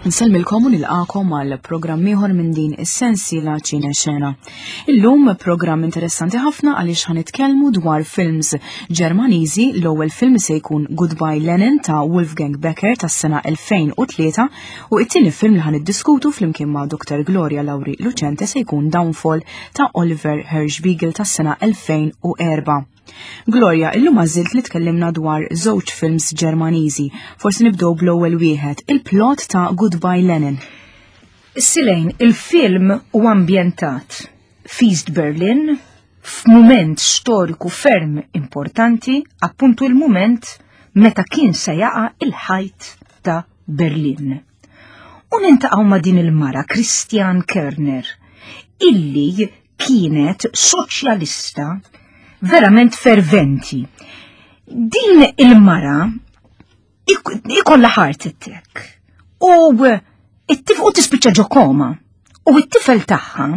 Nsellmilkom u nilqakom għal programm ieħor minn din is-sensiela Ċine Xena. Illum programm interessanti ħafna għaliex ħanitkellmu dwar films Ġermaniżi. L-ewwel film se jkun Goodbye Lenin ta' Wolfgang Becker tas-sena 2003 u it-tieni film li ħaniddiskutu flimkien ma' Dr. Gloria Lauri Lucente se jkun Downfall ta' Oliver Hirschbiegel tas-sena 2004. Gloria, illum għażilt li tkellimna dwar żewġ films Ġermaniżi. Forsi nibdew bl-ewwel wieħed, il-plot ta' Goodbye Lenin. Silejn, il-film u ambjentat f'East Berlin f'mument storiku ferm importanti, appuntu il-mument meta kien se jaqa' il-ħajt ta' Berlin. U nintaqgħu ma' din il-mara Christian Kerner, illi kienet soċjalista verament ferventi. Din il-mara ikolla heart attack u it-tif u tispiċċa ġo koma u it-tifel tagħha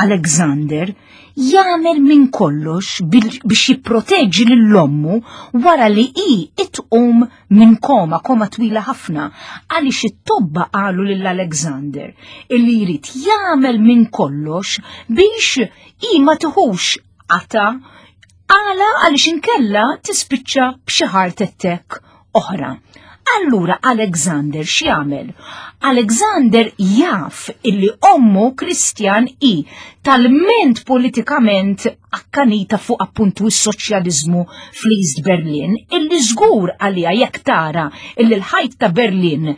Alexander jagħmel minn kollox biex jipproteġi lil ommu wara li hi itqum minn koma, koma twila ħafna, għaliex it-tobba qalu lil Alexander illi jrid jagħmel minn kollox biex hi ma tiħux qata għala għaliex inkella tispiċċa b'xi heart attack oħra. Allura Alexander x'jagħmel? Alexander jaf illi ommu Kristjan i talment politikament akkanita fuq appuntu s-soċjaliżmu fl-East Berlin illi żgur għalija jekk tara illi l-ħajt ta' Berlin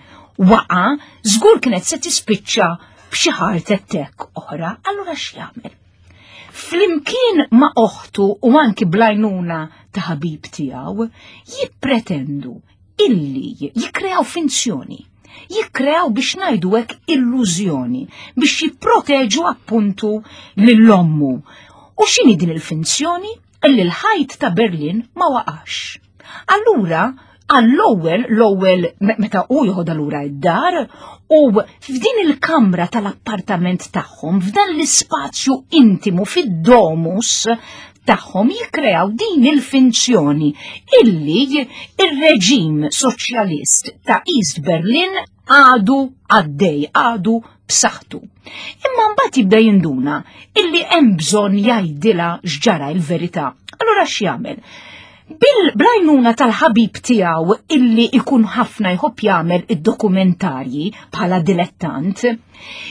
waqa, żgur kienet se tispiċċa b'xi heart attack oħra. Allura x'jagħmel? Flimkien ma' oħtu u anki blajnuna ta' ħabib tiegħu, jippretendu illi jikkreaw finzjoni, jikkreaw biex ngħidu hekk illużjoni biex jipproteġu appuntu lil ommu. U x'inhi din il-finzjoni? Illi l-ħajt ta' Berlin ma waqax. Allura, għall-ewwel, l-ewwel meta hu joħodha lura id-dar u f'din il-kamra tal-appartament tagħhom, f'dan l-ispazju intimu fid-domus tagħhom jikkreaw din il-finzjoni illi ir-reġim soċjalist ta' East Berlin għadu għaddej, għadu b'saħħtu. Imma mbagħad jibda jinduna illi hemm bżonn jgħidilha x'ġara l-verità. Allura x'jagħmel? Bil-blajnuna tal-ħabib tiegħu illi ikun ħafna jħobb jagħmel id-dokumentarji bħala dilettant,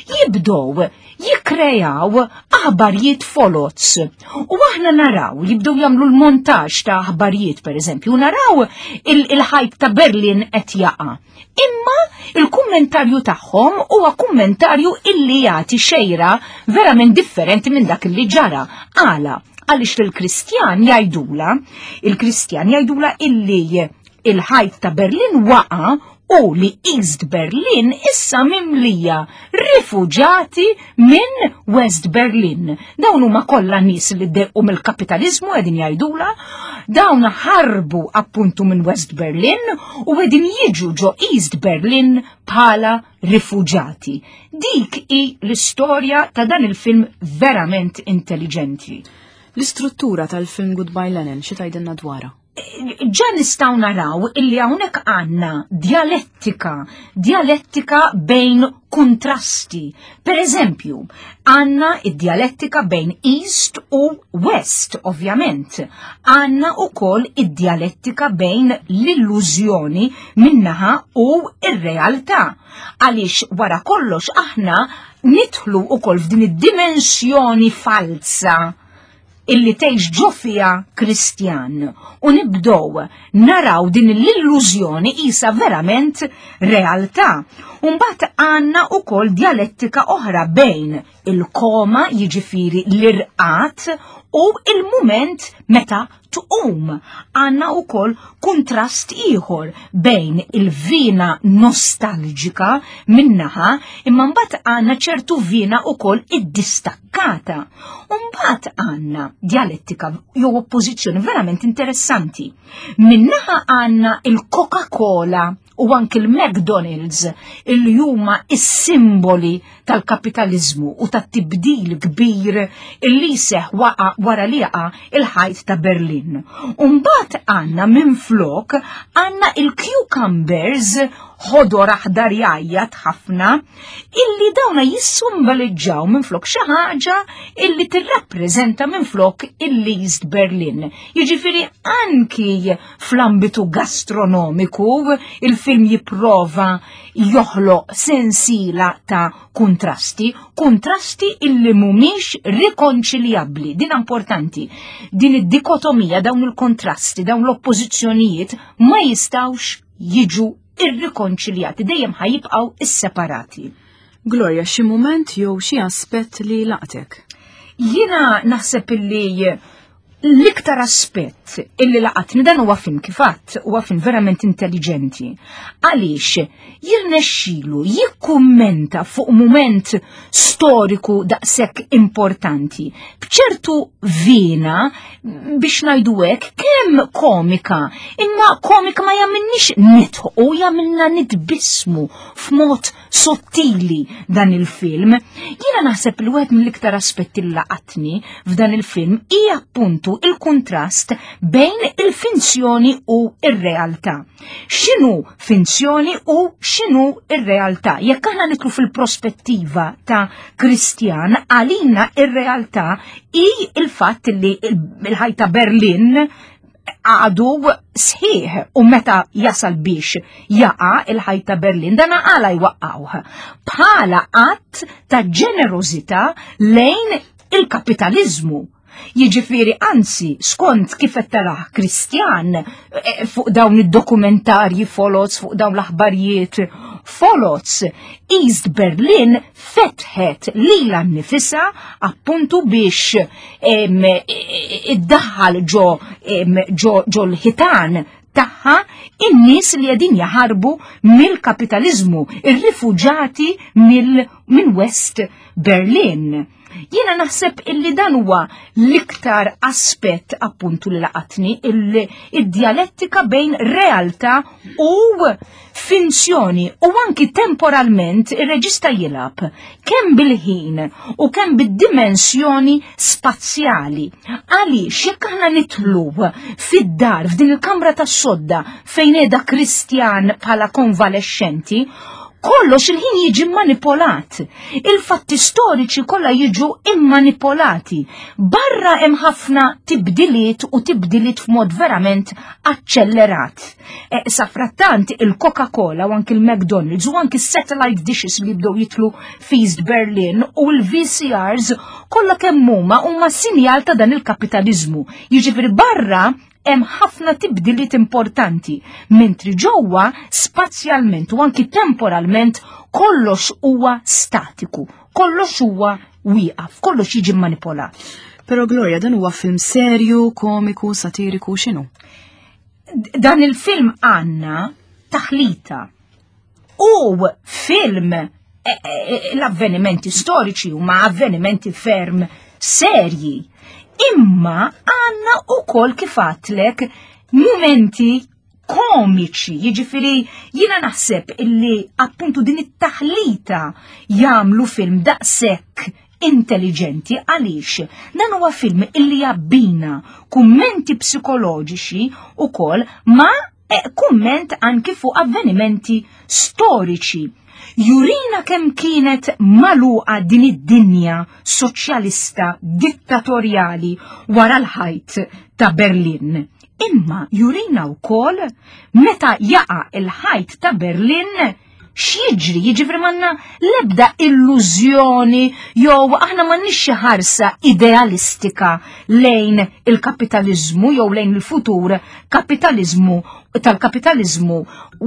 jibdow jikkrejaw aħbarijiet folots. U aħna naraw, jibdew jagħmlu l-montaġġ ta' aħbarijiet pereżempju, naraw il-ħajt ta' Berlin qed jaqa'. Imma il-kummentarju tagħhom huwa kummentarju illi jagħti xejra verament differenti minn dak illi ġara. Għala, għaliex il-Kristjan jgħidula, il-Kristjan jgħidula illi il-ħajt ta' Berlin waqa u li East Berlin issa mimlija rifuġati minn West Berlin. Dawn huma kollha nies li ddequ mill-kapitaliżmu qegħdin jgħidula, dawn ħarbu appuntu minn West Berlin u qegħdin jiġu ġo East Berlin bħala rifuġati. Dik hi l-istorja ta' dan il-film verament intelligenti. L-istruttura tal-film Goodbye Lenin xi tgħidilna dwarha? Ġa nistgħu naraw illi hawnhekk għandna dialettika, dialettika bejn kontrasti. Per eżempju, għandna id-dialettika bejn East u West, ovvjament. Għandna ukoll id-dialettika bejn l-illużjoni minnaħa u ir-realtà. Għaliex wara kollox aħna nidħlu ukoll f'din id-dimensjoni falsa illi tgħix ġo fiha Kristjan u nibdow naraw din l-illużjoni isa verament realtà. Umbagħad għandna ukoll dialettika oħra bejn il-koma jiġifieri l-irqat u il-mument meta tqum. Għandna ukoll kuntrast ieħor bejn il-vina nostalġika minnaħa imma mbagħad għandna ċertu vina ukoll iddistakkata. U mbagħad għandna dialettika jew oppożizzjoni verament interessanti. Minnaħa għandna il-Coca-Cola u anki l-McDonald's illi huma is-simboli tal-kapitaliżmu u tat-tibdil kbir illi seħ waqa wara li jaqa' il-ħajt ta' Berlin. Umbagħad għandna minflok għandna il-cucumbers ħodor aħdar jgħajjat ħafna, illi dawna jissumbaliġġaw minflok xi ħaġa illi tirrappreżenta minflok il-East Berlin. Jiġifieri anki fl-ambitu gastronomiku il-film jipprova joħloq sensiela ta' kuntrasti, kuntrasti illi mhumiex rikonċiljabbli. Din importanti. Din id-dikotomija, dawn il-kontrasti, dawn l-oppożizzjonijiet ma jistawx jiġu irrikonċiljati, dejjem ħajibqgħu isseparati. Gloria, xi mument jew xi aspett li laqtek? Jiena naħseb illi l-iktar aspett illi laqatni dan huwa film kif għadd huwa film verament intelligenti. Għaliex jirnexxilu jikkummenta fuq mument storiku daqshekk importanti b'ċertu vina biex ngħidu hekk kemm komika, imma komika ma jagħmilniex nidħqu, jagħmilna nitbismu f'mod sottili dan il-film. Jiena naħseb li wieħed mill-iktar aspetti li laqatni f'dan il-film hija appuntu il-kuntrast bejn il-finzjoni u ir-realtà. X'inhu finzjoni u x'inhu ir-realtà? Jekk aħna nitlu fil-prospettiva ta' Kristjan, għalina ir-realtà hi il-fatt li il-ħajta Berlin għadu sħiħ u meta jasal biex jaqa il-ħajt ta' Berlin dan għala jwaqqawh bħala att ta' ġenerożità lejn il-kapitalizmu. Jiġifieri anzi skont kif qed tarah Kristjan eh, fuq dawn id-dokumentarji folots, fuq dawn l-aħbarijiet folots, East Berlin fetħet lilha nnifisha appuntu biex iddaħħal ġo ġo l-ħitan tagħha in-nies li qegħdin jaħarbu mill-kapitaliżmu, ir-rifuġati minn West Berlin. Jiena naħseb illi dan huwa l-iktar aspett appuntu li laqatni id-dialettika bejn realtà u finzjoni u anki temporalment ir-reġista jilgħab kemm bil-ħin u kemm bid-dimensjoni spazjali. Għaliex jekk aħna nitlu fid-dar f'din il-kamra tas-sodda fejn qiegħda Kristjan bħala konvalescenti, kollox il-ħin jiġi manipolat. Il-fatti storiċi kollha jiġu immanipolati. Barra hemm ħafna tibdiliet u tibdiliet f'mod verament aċċellerat. E, safrattant il-Coca-Cola u anki il-McDonald's u anki satellite dishes li bdew jitlu f'East Berlin u l-VCRs kollha kemm huma huma sinjal ta' dan il-kapitaliżmu. Jiġifieri barra hemm ħafna tibdiliet importanti, mentri ġewwa spazjalment u anki temporalment kollox huwa statiku, kollox huwa wieqaf, kollox jiġi manipolat. Pero Gloria, dan huwa film serju, komiku, satiriku, x'inhu? Dan il-film għandna taħlita u film e, e, e, l-avvenimenti storiċi huma avvenimenti ferm serji. Imma għanna u kol kifatlek momenti komiċi, jiġifieri jiena naħseb illi appuntu din it-taħlita jagħmlu film daqshekk intelligenti għaliex dan huwa film illi jabbina kummenti psikoloġiċi ukoll ma' E kumment anki fuq avvenimenti storiċi. Jurina kemm kienet maluqa din id-dinja soċjalista dittatorjali wara l-ħajt ta' Berlin. Imma jurina wkoll meta jaqa' il-ħajt ta' Berlin x'jiġri, jiġifieri m'għandna l-ebda illużjoni jew aħna m'għandniex xi ħarsa idealistika lejn il-kapitaliżmu jew lejn il-futur kapitaliżmu tal-kapitaliżmu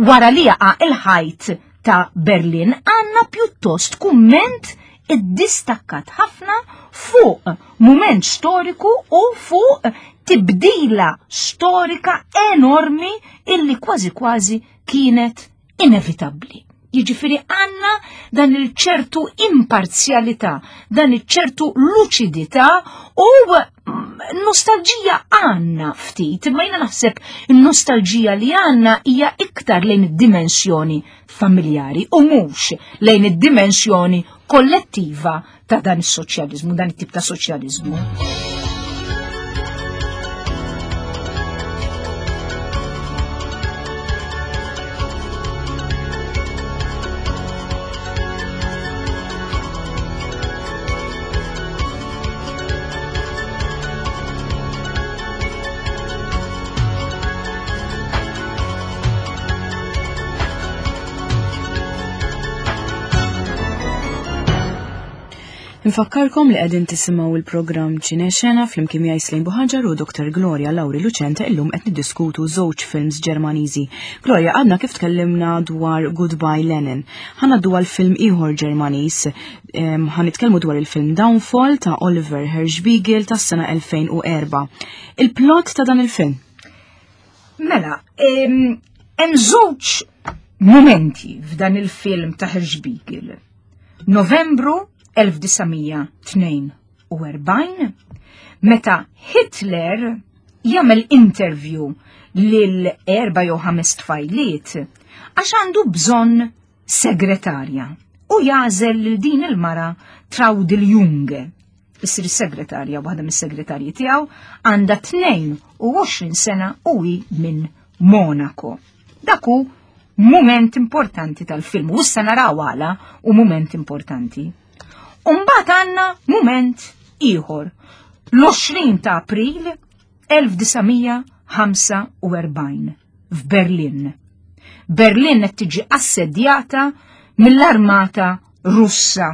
wara li jaqa' il-ħajt ta' Berlin, għandna pjuttost kumment iddistakkat ħafna fuq mument storiku u fuq tibdila storika enormi illi kważi kważi kienet inevitabbli. Jiġifieri għandna dan il-ċertu imparzjalità, dan il-ċertu luċidità u mm, nostalġija għandna ftit, imma jiena naħseb nostalġija li għandna hija iktar lejn id-dimensjoni familjari u mhux lejn id-dimensjoni kollettiva ta' dan is-soċjaliżmu, dan it-tip ta' soċjaliżmu. Infakkarkom li qegħdin tisimgħu il-programm Ċinexena flimkien miegħi Slejn Buħaġar u Dr. Gloria Lauri Lucente illum qed niddiskutu żewġ films Ġermaniżi. Gloria, għadna kif tkellimna dwar Goodbye Lenin. Ħa ngħaddu għal film ieħor Ġermaniż. Ħa nitkellmu dwar il-film Downfall ta' Oliver Hirschbiegel tas-sena 2004. Il-plot ta' dan il-film. Mela, hemm żewġ mumenti f'dan il-film ta' Hirschbiegel. Novembru 1942, meta Hitler jagħmel interview lil erba' jew ħames tfajliet għax għandu bżonn segretarja u jagħżel lil din il-mara Traudl Junge. Issir is-segretarja waħda mis-segretarji tiegħu għandha 22 sena u hi minn Monaco. Dak hu mument importanti tal-film u issa naraw għala u mument importanti. Umbagħad għandna mument ieħor. L-20 ta' April 1945 f'Berlin. Berlin qed tiġi assedjata mill-armata Russa.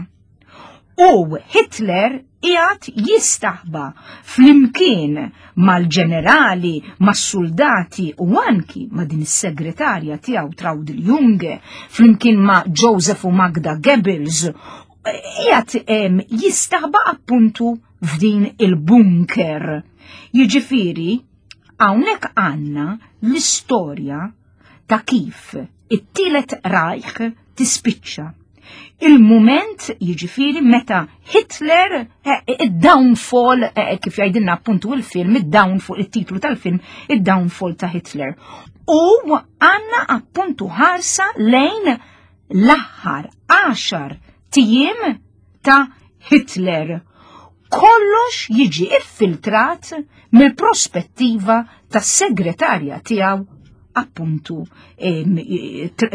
U Hitler qiegħed jistaħba flimkien mal-ġenerali, mas-suldati u anki ma' din is-segretarja tiegħu Traudl Junge, flimkien ma' Joseph u Magda Goebbels, qiegħed jistaħba appuntu f'din il-bunker. Jiġifieri, hawnhekk għandna l-istorja ta' kif it-tielet Reich tispiċċa. Il-mument jiġifieri meta Hitler eh, id-downfall eh, kif jgħidilna appuntu il-film, id-downfall, it-titlu tal-film, id-downfall ta' Hitler. U għanna appuntu ħarsa lejn l-aħħar 10 tijiem ta' Hitler. Kollox jiġi iffiltrat mill-prospettiva tas-segretarja tiegħu appuntu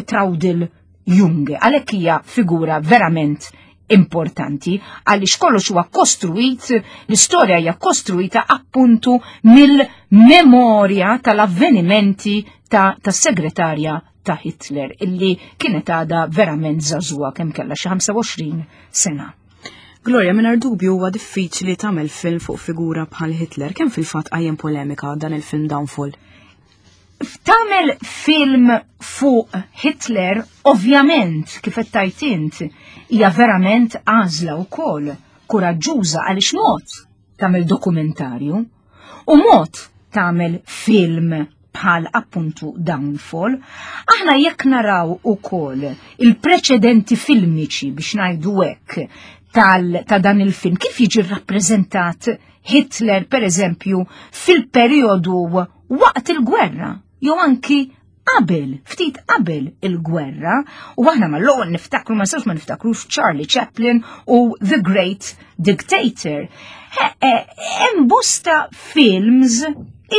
Traudl Junge. Għalhekk hija figura verament importanti għaliex kollox huwa kostruit, l-istorja hija kostruita appuntu mill-memorja tal-avvenimenti ta' tas-segretarja ta' Hitler illi kienet għada verament żagħżugħa kemm kellha xi 25 sena. Gloria, mingħajr dubju huwa diffiċli tagħmel film fuq figura bħal Hitler, kemm fil-fatt qajjem polemika dan il-film Downfall? Tagħmel film fuq Hitler, ovvjament, kif qed tgħid int, hija verament għażla wkoll kuraġġuża għaliex mod tagħmel dokumentarju u mod tagħmel film bħal appuntu Downfall, aħna jekk naraw ukoll il-preċedenti filmiċi biex ngħidu hekk tal ta' dan il-film, kif jiġi rappreżentat Hitler per eżempju fil-perjodu waqt il-gwerra, jew anki qabel, ftit qabel il-gwerra, u aħna mal-ewwel niftakru ma nistgħux ma niftakrux Charlie Chaplin u The Great Dictator. Hemm bosta films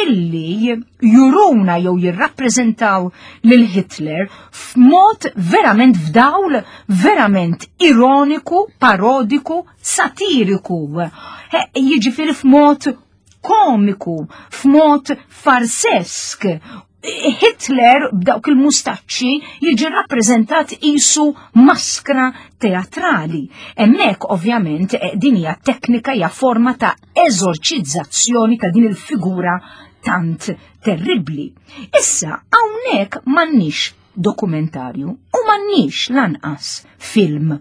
illi juruna jew jirrappreżentaw lil Hitler f'mod verament f'dawl verament ironiku, parodiku, satiriku. Jiġifieri f'mod komiku, f'mod farsesk. Hitler b'dawk il-mustaċċi jiġi rappreżentat isu maskra teatrali. Hemmhekk ovvjament eh, din hija teknika hija forma ta' eżorċizzazzjoni ta' din il-figura tant terribbli. Issa hawnhekk m'għandniex dokumentarju u m'għandniex lanqas film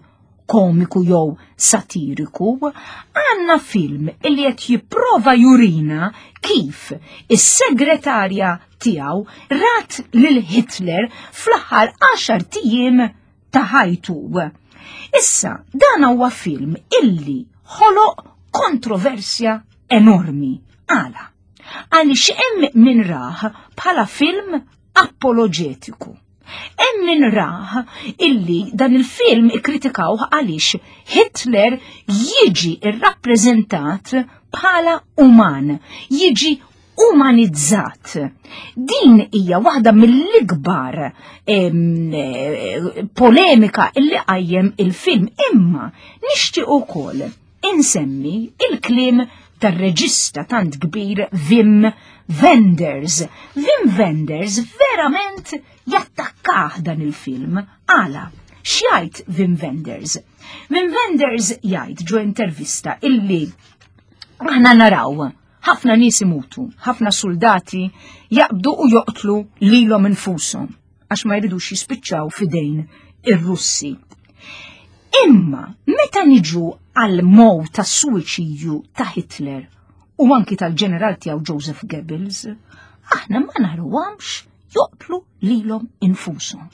komiku jew satiriku, għandna film illi qed jipprova jurina kif is-segretarja tiegħu rat lil Hitler fl-aħħar għaxar tijiem ta' ħajtu. Issa, dan huwa film illi ħoloq kontroversja enormi. Għala? Għaliex hemm min rah bħala film apologetiku. Hemm min rah illi dan il-film ikkritikawh għaliex Hitler jiġi rrappreżentat bħala uman, jiġi umanizzat. Din hija waħda mill-ikbar eh, polemika illi qajjem il-film, imma nixtieq ukoll insemmi il-kliem tar-reġista tant kbir Wim Wenders. Wim Wenders verament jattakkah dan il-film. Għala? X'jgħid Wim Wenders? Wim Wenders jgħid ġo intervista illi aħna naraw ħafna nies imutu, ħafna soldati jaqbdu u joqtlu lilhom infushom għax ma jridux jispiċċaw fidejn ir-Russi. Imma meta niġu għal mow ta' suwiċidju ta' Hitler u anki tal-ġeneral tiegħu Joseph Goebbels, aħna ma narawhomx joqtlu lilhom infushom.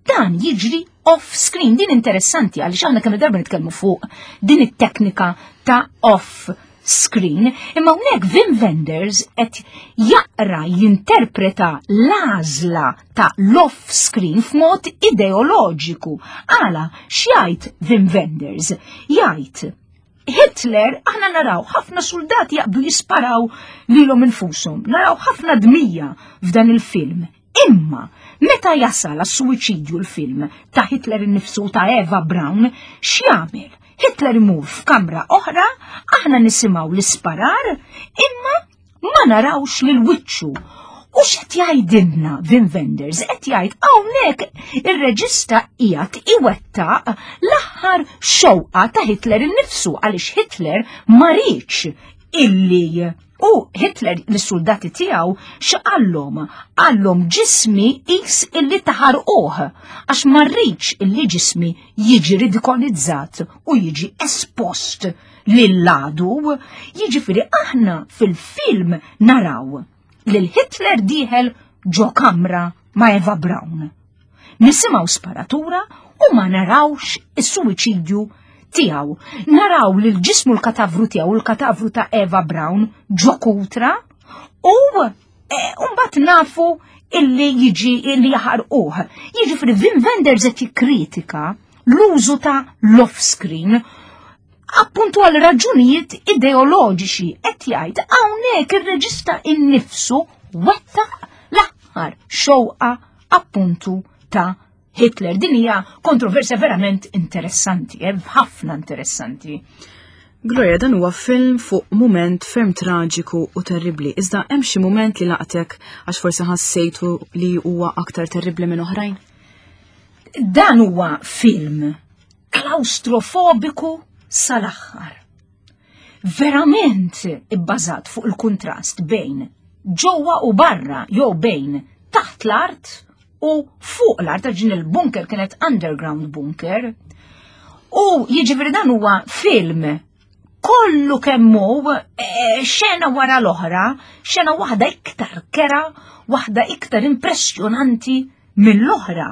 Dan jiġri off screen, din interessanti għaliex aħna kemm darba nitkellmu fuq din it-teknika ta' off screen, imma hawnhekk Wim Wenders qed jaqra jinterpreta l-għażla ta' l-off screen f'mod ideoloġiku. Għala x'jgħid Wim Wenders? Jgħid Hitler aħna naraw ħafna soldati jaqbdu jisparaw lilhom infushom, naraw ħafna dmija f'dan il-film. Imma meta jasal għas-suwiċidju l-film ta' Hitler innifsu ta' Eva Braun, x'jagħmel? Hitler imur f'kamra oħra, aħna nisimgħu l-isparar, imma ma narawx lil wiċċu. U x'qed jgħidilna Wim Wenders? Qed jgħid hawnhekk ir-reġista qiegħed iwettaq l-aħħar xewqa ta' Hitler innifsu għaliex Hitler ma riedx illi u Hitler lis-soldati tiegħu x'qallhom? Qallhom ġismi qis illi taħarquh għax ma rridx illi ġismi jiġi ridikolizzat u jiġi espost lill-għadu, jiġifieri aħna fil-film naraw lil Hitler dieħel ġo kamra ma' Eva Braun. Nisimgħu sparatura u ma narawx is-suwiċidju tiegħu. Naraw lil ġismu l-katavru tiegħu l-katavru ta' Eva Braun ġo kutra u eh, mbagħad nafu illi jiġi illi jaħarquh. Jiġifieri Wim Wenders qed jikkritika l-użu ta' l-off screen appuntu għal raġunijiet ideoloġiċi qed jgħid hawnhekk ir-reġista innifsu wettaq l-aħħar xewqa appuntu ta' Hitler. Din hija kontroversja verament interessanti, eh, ħafna interessanti. Gloria, dan huwa film fuq mument ferm traġiku u terribli. Iżda hemm xi mument li laqtek għax forsi ħassejtu li huwa aktar terribli minn oħrajn? Dan huwa film klaustrofobiku sal-aħħar. Verament ibbażat fuq il-kuntrast bejn ġewwa u barra jew bejn taħt l-art u fuq l-art għax din il-bunker kienet underground bunker. U jiġifieri dan huwa film kollu kemmu eh, xena wara l-oħra, xena waħda iktar kera, waħda iktar impressjonanti mill-oħra.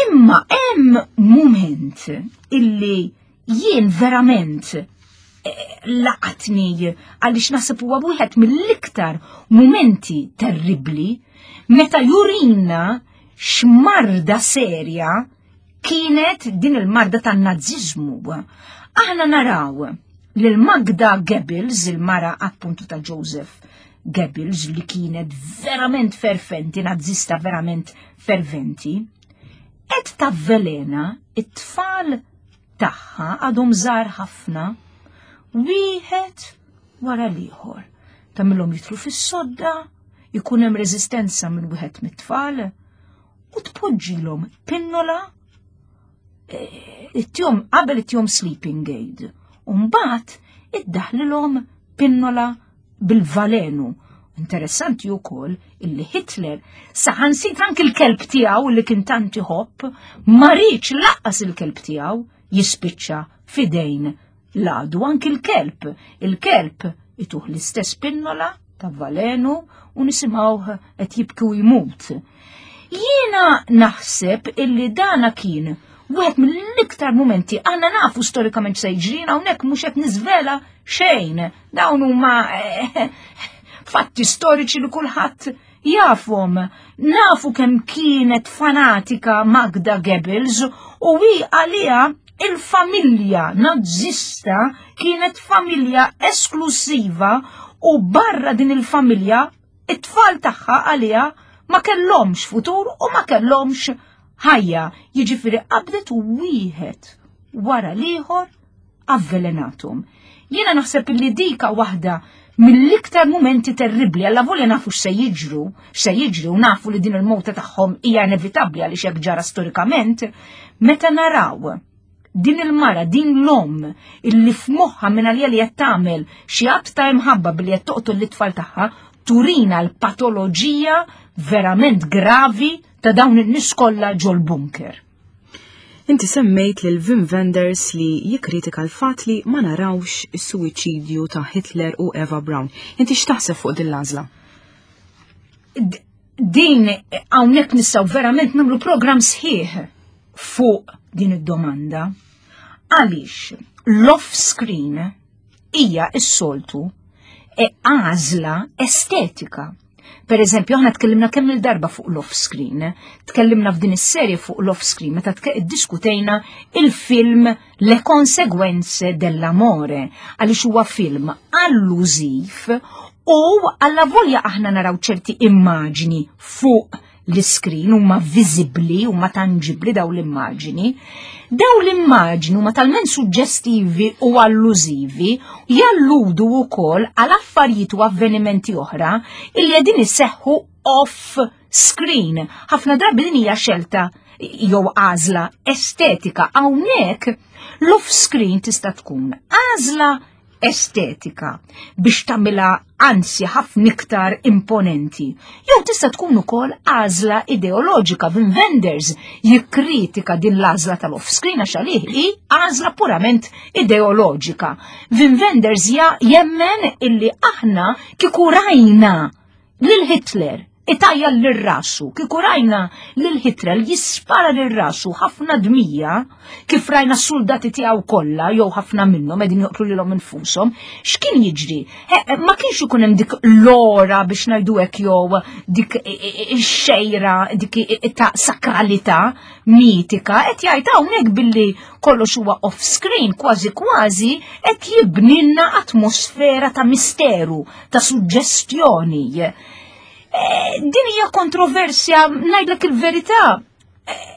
Imma hemm mument illi jien verament eh, laqatni għaliex naħseb huwa wieħed mill-iktar mumenti terribbli meta jurina x'marda serja kienet din il-marda tan-naziżmu. Aħna naraw lil Magda Goebbels, il-mara appuntu ta' Joseph Goebbels li kienet verament ferventi, nazista verament ferventi, qed tavvelena it-tfal tagħha għadhom żgħar ħafna wieħed wara l-ieħor. Tagħmilhom jidħlu fis-sodda, ikun hemm reżistenza minn wieħed mit-tfal u tpoġġilhom pinnola eh, it-tjom qabel it-tjom sleeping aid. U mbagħad iddaħlilhom pinnola bil-valenu. Interessanti wkoll illi Hitler saħansit anki l-kelb tiegħu li kien tant iħobb ma riedx laqqas il-kelb tiegħu jispiċċa fidejn l-għadu anki l-kelb. Il-kelb ituh l-istess pinnola ta' valenu u nisimgħuh qed jibki u jmut. Jiena naħseb illi dana kien wieħed mill-iktar mumenti aħna nafu storikament se jiġrina hawnhekk mhux qed niżvela xejn. Dawn huma eh, fatti storiċi li kulħadd jafhom. Nafu kemm kienet fanatika Magda Goebbels u hi għaliha il-familja nazzista kienet familja esklusiva u barra din il-familja it-tfal tagħha għaliha ma kellhomx futur u ma kellhomx ħajja. Jiġifieri qabdet u wieħed wara l-ieħor avvelenatum. Jiena naħseb li dika waħda mill-iktar mumenti terribbli alla volja nafu x'se jiġru, x'se jiġri u nafu li din il-mowta tagħhom hija inevitabbli għaliex hekk ġara storikament, meta naraw din il-mara, din l-omm illi f'moħħa minn għalija li qed tagħmel xi att ta' imħabba billi qed toqtol l-itfal tagħha, turina l-patoloġija verament gravi ta' dawn in-nies kollha ġol-bunker. Inti semmejt lil Wim Wenders li jikkritika l-fatt li ma narawx is-suwiċidju ta' Hitler u Eva Braun. Inti x'taħseb fuq din l-għażla? Din hawnhekk nistgħu verament nagħmlu programm sħiħ fuq din id-domanda. Għaliex l-off screen hija s-soltu e għażla estetika. Per eżempju, aħna tkellimna kemm il-darba fuq l-off screen, tkellimna f'din is-serje fuq l-off screen meta ddiskutejna il-film Le Conseguenze dell'Amore, għaliex huwa film allużiv u alla volja aħna naraw ċerti immaġni fuq l-iskrin huma viżibbli, huma tanġibbli daw l-immaġini. Daw l-immaġni huma talment suġġestivi u allużivi jalludu wkoll għal affarijiet u avvenimenti oħra illi qegħdin iseħħu off screen. Ħafna drabi din hija xelta jew għażla estetika hawnhekk l-off screen tista' tkun għażla estetika biex tagħmilha anzi ħafna iktar imponenti. Jew tista' tkun ukoll għażla ideoloġika Wim Wenders jikkritika din l-għażla tal-off-screen għax għalih hi għażla purament ideoloġika. Wim Wenders jemmen illi aħna kieku rajna lil Hitler itajja lil rasu, kieku rajna lil Hitler jispara lil rasu ħafna dmija, kif rajna s-soldati tiegħu kollha jew ħafna minnhom qegħdin joqtlu lilhom infushom, x'kien jiġri? Ma kienx ikun hemm dik l-ora biex ngħidu hekk jew dik ix-xejra dik ta' sakralità mitika qed jgħid hawnhekk billi kollox huwa off screen kważi kważi qed jibnilna atmosfera ta' misteru, ta' suġġestjoni. Eh, din hija kontroversja, ngħidlek il-verità. Eh,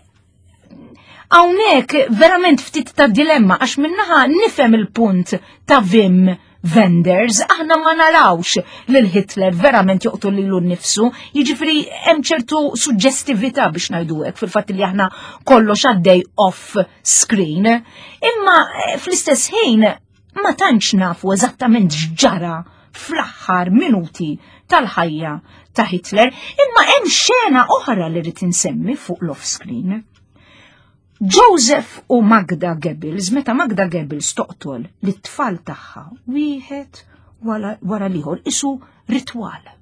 hawnhekk verament ftit ta' dilemma għax minnaħa nifhem il-punt ta' Vim Wenders, aħna ma narawx lil Hitler verament joqtol lilu nnifsu, jiġifieri hemm ċertu suġġestività biex ngħidu hekk fil-fatt li aħna kollox għaddej off screen. Imma eh, fl-istess ħin ma tantx nafu eżattament x'ġara fl-aħħar minuti tal-ħajja ta' Hitler, imma hemm xena oħra li rrid insemmi fuq l-off screen. Joseph u Magda Goebbels, meta Magda Goebbels toqtol lit-tfal tagħha wieħed wara l-ieħor isu ritwal.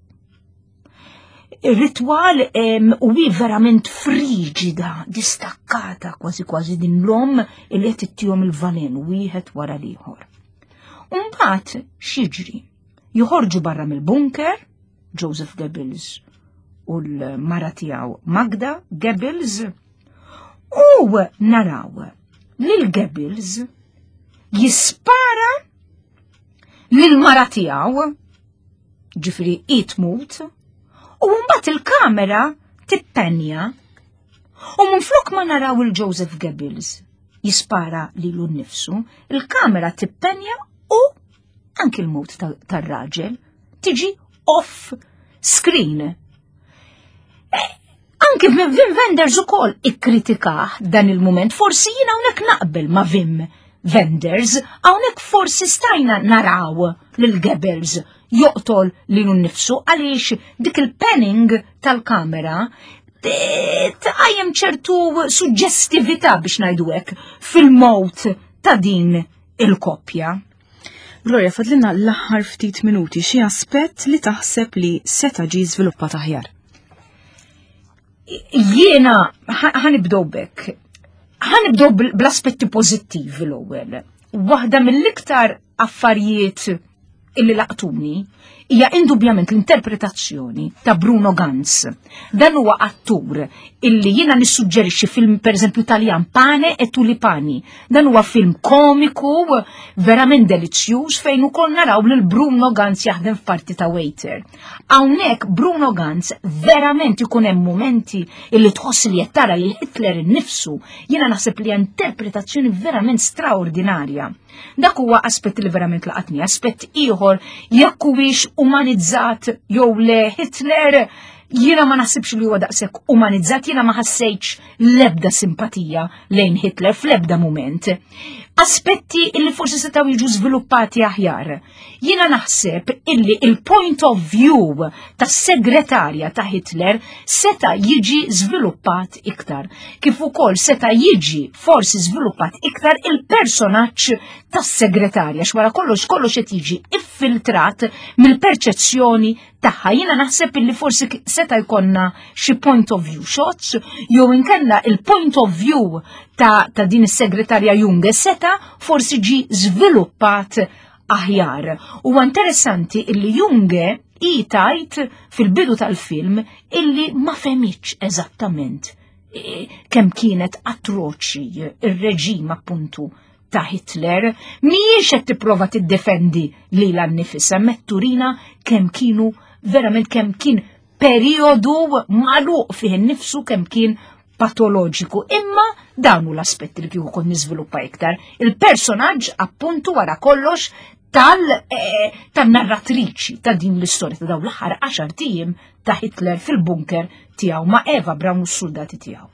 Ir-ritwal u hi verament friġida, distakkata kważi kważi din l-omm li qed ittihom il-valen wieħed wara l-ieħor. Mbagħad x'jiġri? Joħorġu barra mill-bunker, Joseph Goebbels u l-mara tiegħu Magda Goebbels, u naraw lil Goebbels jispara lil mara tiegħu ġifiri i tmut, u mbagħad il-kamera tippenja u minflok ma naraw il-Joseph Goebbels jispara lilu nnifsu, il-kamera tippenja u anki l-mut tar-raġel tiġi off screen. E, anki Wim Wenders ukoll ikkritikah dan il-mument, forsi jien hawnhekk naqbel ma' Wim Wenders, hawnhekk forsi stajna naraw lil Goebbels joqtol lilu nnifsu għaliex dik il-panning tal-kamera tqajjem ċertu suġġestività biex ngħidu hekk fil-mowt ta' din il-koppja. Gloria, fadlilna l-aħħar ftit minuti xi aspett li taħseb li seta' ġie żviluppat aħjar. Jiena ħanibdew bekk. Ħanibdew bl-aspetti pożittivi l-ewwel. Waħda mill-iktar affarijiet illi laqtuni. hija indubjament l-interpretazzjoni ta' Bruno Ganz. Dan huwa attur illi jiena nissuġġerixxi film pereżempju Taljan Pane e Tulipani. Dan huwa film komiku verament delizzjuż fejn ukoll naraw lil Bruno Ganz jaħdem f'parti ta' waiter. Hawnhekk Bruno Ganz verament ikun hemm mumenti illi tħoss li qed tara lil Hitler innifsu. Jiena naħseb li interpretazzjoni verament straordinarja. Dak huwa aspett li verament laqatni, aspett ieħor jekk huwiex umanizzat jew le Hitler jiena ma naħsibx li huwa daqshekk umanizzat, jiena ma ħassejtx l-ebda simpatija lejn Hitler fl-ebda mument. Aspetti illi forsi setgħu jiġu żviluppati aħjar. Jiena naħseb illi il-point of view tas-segretarja ta' Hitler seta' jiġi żviluppat iktar. Kif ukoll seta' jiġi forsi żviluppat iktar il-personaġġ tas-segretarja x'wara kollox kollox qed jiġi iffiltrat mill-perċezzjoni tagħha. Jiena naħseb illi forsi seta' jkollna xi point of view shots jew inkella il-point of view ta', ta din is-segretarja Junge seta' forsi ġi żviluppat aħjar. Huwa interessanti illi Junge i tajt fil-bidu tal-film illi ma fehmitx eżattament e, kemm kienet atroċi ir-reġim appuntu ta' Hitler, mhijiex qed tipprova tiddefendi lilha nnifisha, metturina kemm kienu verament kemm kien periodu magħluq fih innifsu kemm kien patoloġiku. Imma dawn hu l-aspetti li kieku kont niżviluppa iktar. Il-personaġġ appuntu wara kollox tal eh, tan-narratriċi ta' din l-istorja ta' dawn l-aħħar għaxar tiem ta' Hitler fil-bunker tiegħu ma' Eva Braun u s-soldati tiegħu.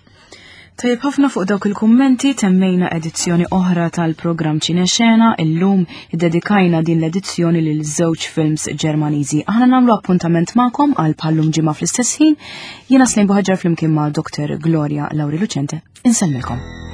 Tajjeb ħafna fuq dawk il-kummenti temmejna edizzjoni oħra tal-programm Ċinexena illum iddedikajna din l-edizzjoni lil żewġ films Ġermaniżi. Aħna nagħmlu appuntament magħkom għal bħallum ġimgħa fl-istess ħin. Jiena Slejn Buħaġar flimkien ma' Dr. Gloria Lauri Lucente. Insellmilkom.